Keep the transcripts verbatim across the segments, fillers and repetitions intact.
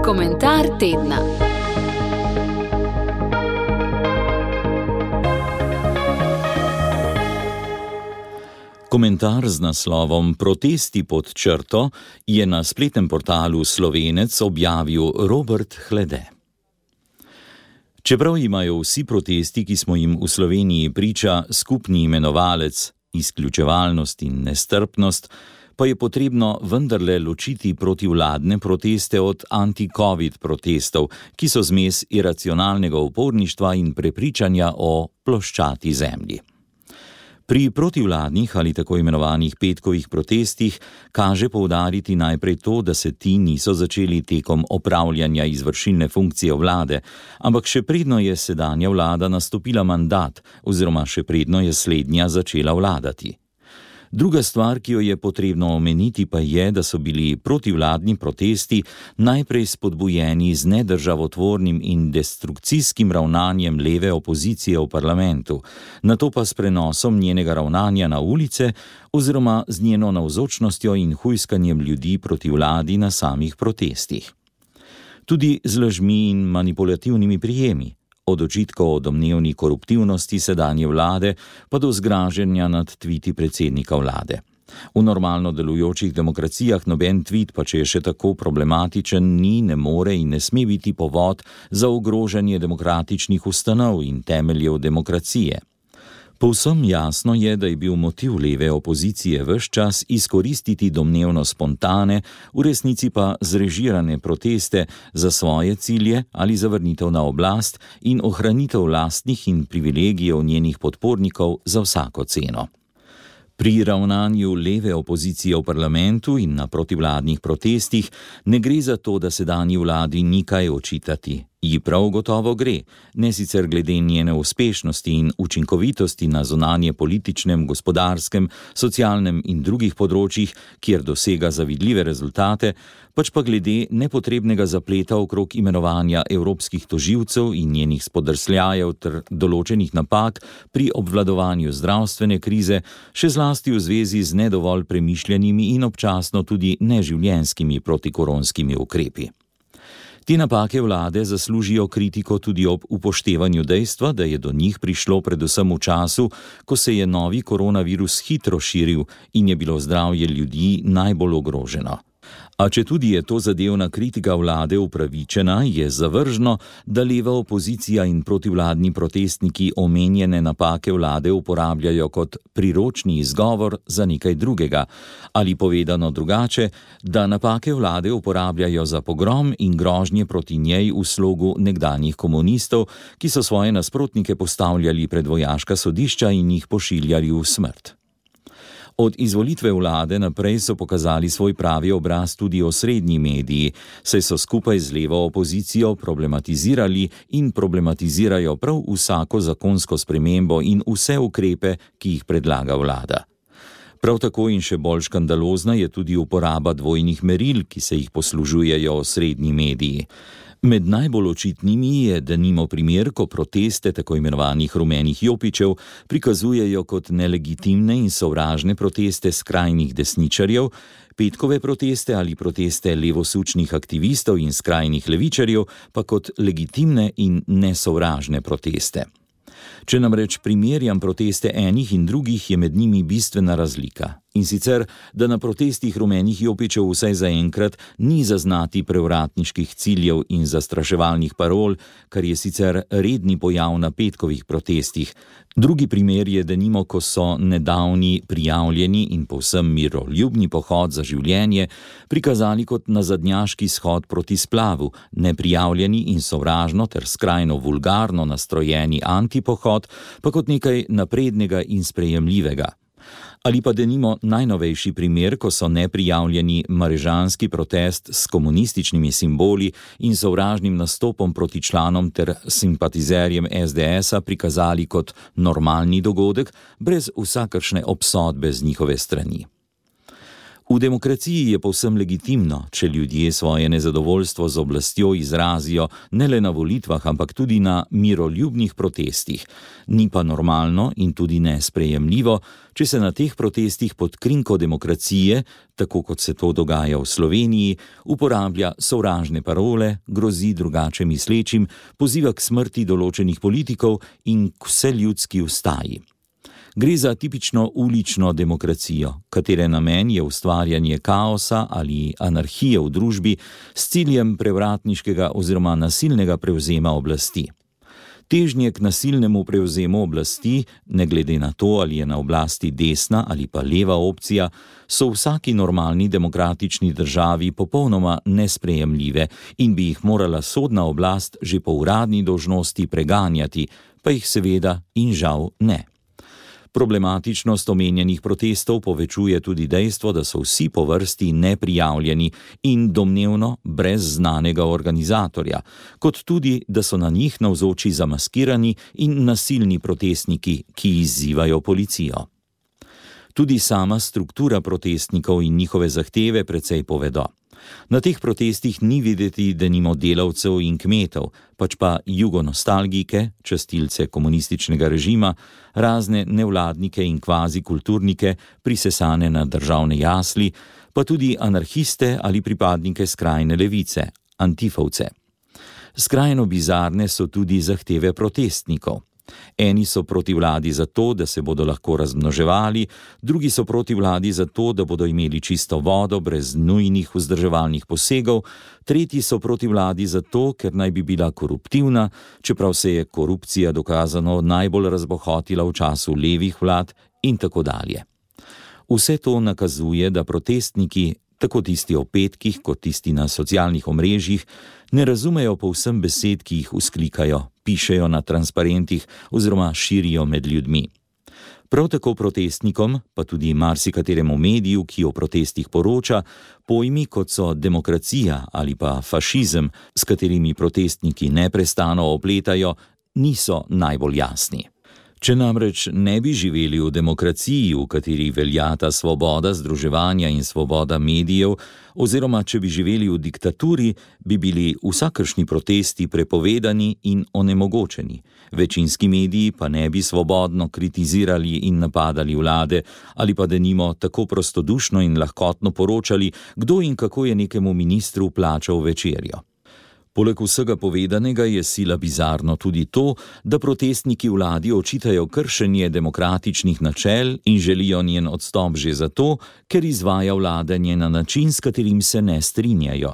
Komentar tedna. Komentar z naslovom Protesti pod črto je na spletnem portalu Slovenec objavil Robert Hlede. Čeprav imajo vsi protesti, ki smo jim v Sloveniji priča, skupni imenovalec, izključevalnost in nestrpnost, pa je potrebno vendarle ločiti protivladne proteste od anti-covid protestov, ki so zmes iracionalnega uporništva in prepričanja o ploščati zemlji. Pri protivladnih ali tako imenovanih petkovih protestih kaže poudariti najprej to, da se ti niso začeli tekom opravljanja izvršilne funkcije vlade, ampak še predno je sedanja vlada nastopila mandat oziroma še predno je slednja začela vladati. Druga stvar, ki jo je potrebno omeniti, pa je, da so bili protivladni protesti najprej spodbujeni z nedržavotvornim in destrukcijskim ravnanjem leve opozicije v parlamentu, nato pa s prenosom njenega ravnanja na ulice oziroma z njeno navzočnostjo in hujskanjem ljudi proti vladi na samih protestih. Tudi z lažmi in manipulativnimi prijemi. Od očitkov o domnevni koruptivnosti sedanje vlade pa do zgražanja nad tviti predsednika vlade. V normalno delujočih demokracijah noben tvit, pa če je še tako problematičen, ni, ne more in ne sme biti povod za ogrožanje demokratičnih ustanov in temeljev demokracije. Povsem jasno je, da je bil motiv leve opozicije ves čas izkoristiti domnevno spontane, v resnici pa zrežirane proteste za svoje cilje ali za vrnitev na oblast in ohranitev lastnih in privilegijev njenih podpornikov za vsako ceno. Pri ravnanju leve opozicije v parlamentu in na protivladnih protestih ne gre za to, da sedanji vladi ni kaj očitati. Ji prav gotovo gre, ne sicer glede njene uspešnosti in učinkovitosti na zunanje političnem, gospodarskem, socialnem in drugih področjih, kjer dosega zavidljive rezultate, pač pa glede nepotrebnega zapleta okrog imenovanja evropskih tožilcev in njenih spodrsljajev ter določenih napak pri obvladovanju zdravstvene krize, še zlasti v zvezi z nedovolj premišljenimi in občasno tudi neživljenjskimi protikoronskimi ukrepi. Te napake vlade zaslužijo kritiko tudi ob upoštevanju dejstva, da je do njih prišlo predvsem v času, ko se je novi koronavirus hitro širil in je bilo zdravje ljudi najbolj ogroženo. A četudi je to zadevna kritika vlade upravičena, je zavržno, da leva opozicija in protivladni protestniki omenjene napake vlade uporabljajo kot priročni izgovor za nekaj drugega, ali povedano drugače, da napake vlade uporabljajo za pogrom in grožnje proti njej v slogu nekdanjih komunistov, ki so svoje nasprotnike postavljali pred vojaška sodišča in jih pošiljali v smrt. Od izvolitve vlade naprej so pokazali svoj pravi obraz tudi osrednji mediji, saj so skupaj z levo opozicijo problematizirali in problematizirajo prav vsako zakonsko spremembo in vse ukrepe, ki jih predlaga vlada. Prav tako in še bolj škandalozna je tudi uporaba dvojnih meril, ki se jih poslužujejo osrednji mediji. Med najbolj očitnimi je denimo primer, ko proteste tako imenovanih rumenih jopičev prikazujejo kot nelegitimne in sovražne proteste skrajnih desničarjev, petkove proteste ali proteste levosučnih aktivistov in skrajnih levičarjev pa kot legitimne in nesovražne proteste. Če namreč primerjam proteste enih in drugih, je med njimi bistvena razlika. In sicer, da na protestih rumenih jopičev vsaj zaenkrat ni zaznati prevratniških ciljev in zastraševalnih parol, kar je sicer redni pojav na petkovih protestih. Drugi primer je denimo, ko so nedavni prijavljeni in povsem miroljubni pohod za življenje prikazali kot nazadnjaški shod proti splavu, neprijavljeni in sovražno ter skrajno vulgarno nastrojeni antipohod pa kot nekaj naprednega in sprejemljivega. Ali pa denimo najnovejši primer, ko so neprijavljeni marežanski protest s komunističnimi simboli in sovražnim nastopom proti članom ter simpatizerjem es de esa prikazali kot normalni dogodek, brez vsakršne obsodbe z njihove strani. V demokraciji je povsem legitimno, če ljudje svoje nezadovoljstvo z oblastjo izrazijo ne le na volitvah, ampak tudi na miroljubnih protestih. Ni pa normalno in tudi nesprejemljivo, če se na teh protestih pod krinko demokracije, tako kot se to dogaja v Sloveniji, uporablja sovražne parole, grozi drugače mislečim, poziva k smrti določenih politikov in k vseljudski ustaji. Gre za tipično ulično demokracijo, katere namen je ustvarjanje kaosa ali anarhije v družbi s ciljem prevratniškega oziroma nasilnega prevzema oblasti. Težnje k nasilnemu prevzemu oblasti, ne glede na to, ali je na oblasti desna ali pa leva opcija, so v vsaki normalni demokratični državi popolnoma nesprejemljive in bi jih morala sodna oblast že po uradni dolžnosti preganjati, pa jih seveda in žal ne. Problematičnost omenjenih protestov povečuje tudi dejstvo, da so vsi po vrsti neprijavljeni in domnevno brez znanega organizatorja, kot tudi, da so na njih navzoči zamaskirani in nasilni protestniki, ki izzivajo policijo. Tudi sama struktura protestnikov in njihove zahteve precej povedo. Na teh protestih ni videti denimo delavcev in kmetov, pač pa jugonostalgike, častilce komunističnega režima, razne nevladnike in kvazi kulturnike, prisesane na državne jasli, pa tudi anarhiste ali pripadnike skrajne levice, antifovce. Skrajno bizarne so tudi zahteve protestnikov. Eni so proti vladi zato, da se bodo lahko razmnoževali, drugi so proti vladi zato, da bodo imeli čisto vodo brez nujnih vzdrževalnih posegov, tretji so proti vladi zato, ker naj bi bila koruptivna, čeprav se je korupcija dokazano najbolj razbohotila v času levih vlad in tako dalje. Vse to nakazuje, da protestniki, tako tisti o petkih kot tisti na socialnih omrežjih, ne razumejo povsem besed, ki jih vzklikajo, pišejo na transparentih oziroma širijo med ljudmi. Prav tako protestnikom, pa tudi marsikateremu mediju, ki o protestih poroča, pojmi kot so demokracija ali pa fašizem, s katerimi protestniki neprestano opletajo, niso najbolj jasni. Če namreč ne bi živeli v demokraciji, v kateri veljata svoboda združevanja in svoboda medijev, oziroma če bi živeli v diktaturi, bi bili vsakršni protesti prepovedani in onemogočeni. Večinski mediji pa ne bi svobodno kritizirali in napadali vlade, ali pa denimo tako prostodušno in lahkotno poročali, kdo in kako je nekemu ministru plačal večerjo. Poleg vsega povedanega je sila bizarno tudi to, da protestniki vladi očitajo kršenje demokratičnih načel in želijo njen odstop že zato, ker izvaja vladanje na način, s katerim se ne strinjajo.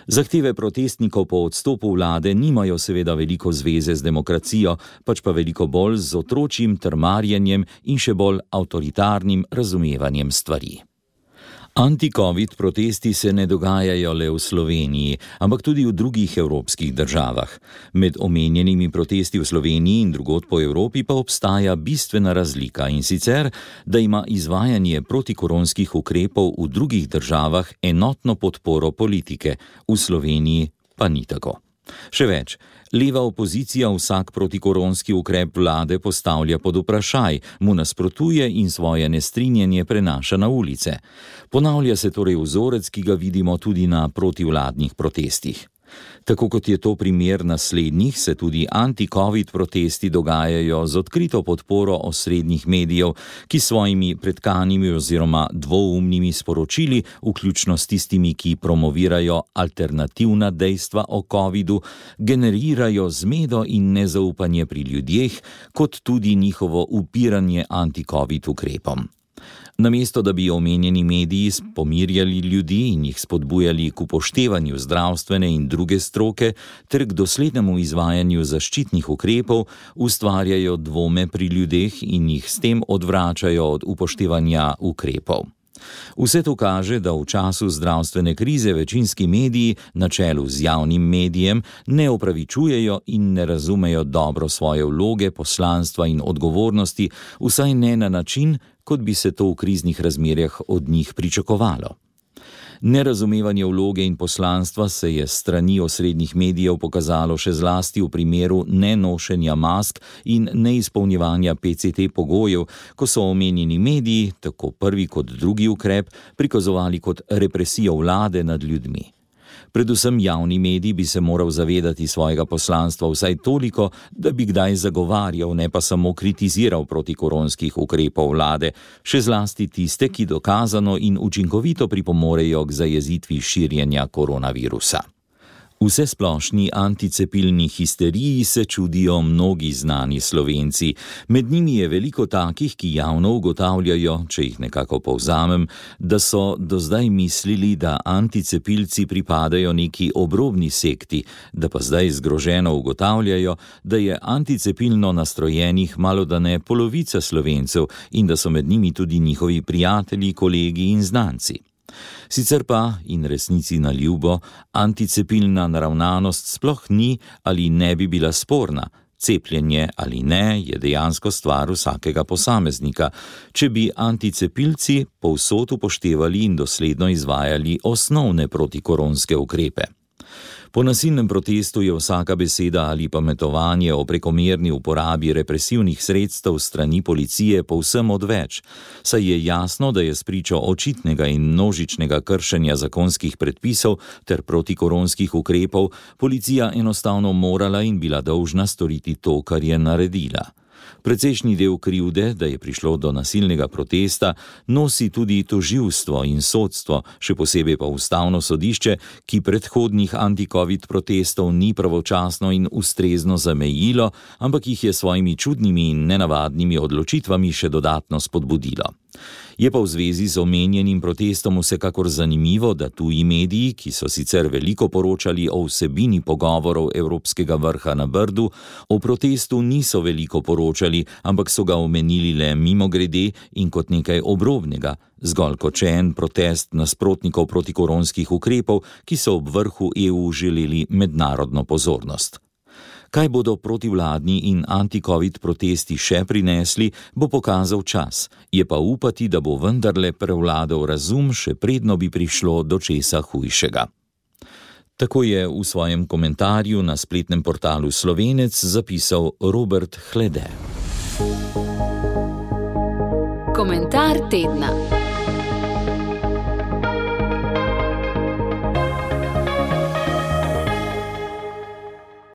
Zahteve protestnikov po odstopu vlade nimajo seveda veliko zveze z demokracijo, pač pa veliko bolj z otročjim trmarjenjem in še bolj avtoritarnim razumevanjem stvari. Anti-covid protesti se ne dogajajo le v Sloveniji, ampak tudi v drugih evropskih državah. Med omenjenimi protesti v Sloveniji in drugod po Evropi pa obstaja bistvena razlika, in sicer, da ima izvajanje protikoronskih ukrepov v drugih državah enotno podporo politike, v Sloveniji pa ni tako. Še več, leva opozicija vsak protikoronski ukrep vlade postavlja pod vprašaj, mu nasprotuje in svoje nestrinjenje prenaša na ulice. Ponavlja se torej vzorec, ki ga vidimo tudi na protivladnih protestih. Tako kot je to primer naslednjih, se tudi anti-covid protesti dogajajo z odkrito podporo osrednjih medijev, ki svojimi pretkanimi oziroma dvoumnimi sporočili, vključno s tistimi, ki promovirajo alternativna dejstva o covidu, generirajo zmedo in nezaupanje pri ljudeh, kot tudi njihovo upiranje anti-covid ukrepom. Namesto da bi omenjeni mediji pomirjali ljudi in jih spodbujali k upoštevanju zdravstvene in druge stroke ter k doslednemu izvajanju zaščitnih ukrepov, ustvarjajo dvome pri ljudeh in jih s tem odvračajo od upoštevanja ukrepov. Vse to kaže, da v času zdravstvene krize večinski mediji na čelu z javnim medijem ne opravičujejo in ne razumejo dobro svoje vloge, poslanstva in odgovornosti, vsaj ne na način, kot bi se to v kriznih razmerjah od njih pričakovalo. Nerazumevanje vloge in poslanstva se je s strani osrednjih medijev pokazalo še zlasti v primeru nenošenja mask in neizpolnjevanja P C T pogojev, ko so omenjeni mediji, tako prvi kot drugi ukrep, prikazovali kot represijo vlade nad ljudmi. Predvsem javni medij bi se moral zavedati svojega poslanstva vsaj toliko, da bi kdaj zagovarjal, ne pa samo kritiziral protikoronskih ukrepov vlade, še zlasti tiste, ki dokazano in učinkovito pripomorejo k zajezitvi širjenja koronavirusa. Vsesplošni anticepilni histeriji se čudijo mnogi znani Slovenci. Med njimi je veliko takih, ki javno ugotavljajo, če jih nekako povzamem, da so do zdaj mislili, da anticepilci pripadajo neki obrobni sekti, da pa zdaj zgroženo ugotavljajo, da je anticepilno nastrojenih malodane polovica Slovencev in da so med njimi tudi njihovi prijatelji, kolegi in znanci. Sicer pa, in resnici na ljubo, anticepilna naravnanost sploh ni ali ne bi bila sporna. Cepljenje ali ne je dejansko stvar vsakega posameznika, če bi anticepilci povsod upoštevali in dosledno izvajali osnovne protikoronske ukrepe. Po nasilnem protestu je vsaka beseda ali pametovanje o prekomerni uporabi represivnih sredstev strani policije povsem odveč, saj je jasno, da je spričo očitnega in množičnega kršenja zakonskih predpisov ter protikoronskih ukrepov policija enostavno morala in bila dolžna storiti to, kar je naredila. Precejšnji del krivde, da je prišlo do nasilnega protesta, nosi tudi tožilstvo in sodstvo, še posebej pa ustavno sodišče, ki predhodnih anti-covid protestov ni pravočasno in ustrezno zamejilo, ampak jih je svojimi čudnimi in nenavadnimi odločitvami še dodatno spodbudilo. Je pa v zvezi z omenjenim protestom vsekakor zanimivo, da tuji mediji, ki so sicer veliko poročali o vsebini pogovorov Evropskega vrha na Brdu, o protestu niso veliko poročali, ampak so ga omenili le mimogrede in kot nekaj obrobnega, zgolj kot še en protest nasprotnikov protikoronskih ukrepov, ki so ob vrhu E U želeli mednarodno pozornost. Kaj bodo protivladni in anti-covid protesti še prinesli, bo pokazal čas. Je pa upati, da bo vendarle prevladal razum, še predno bi prišlo do česa hujšega. Tako je v svojem komentarju na spletnem portalu Slovenec zapisal Robert Hlede. Komentar tedna.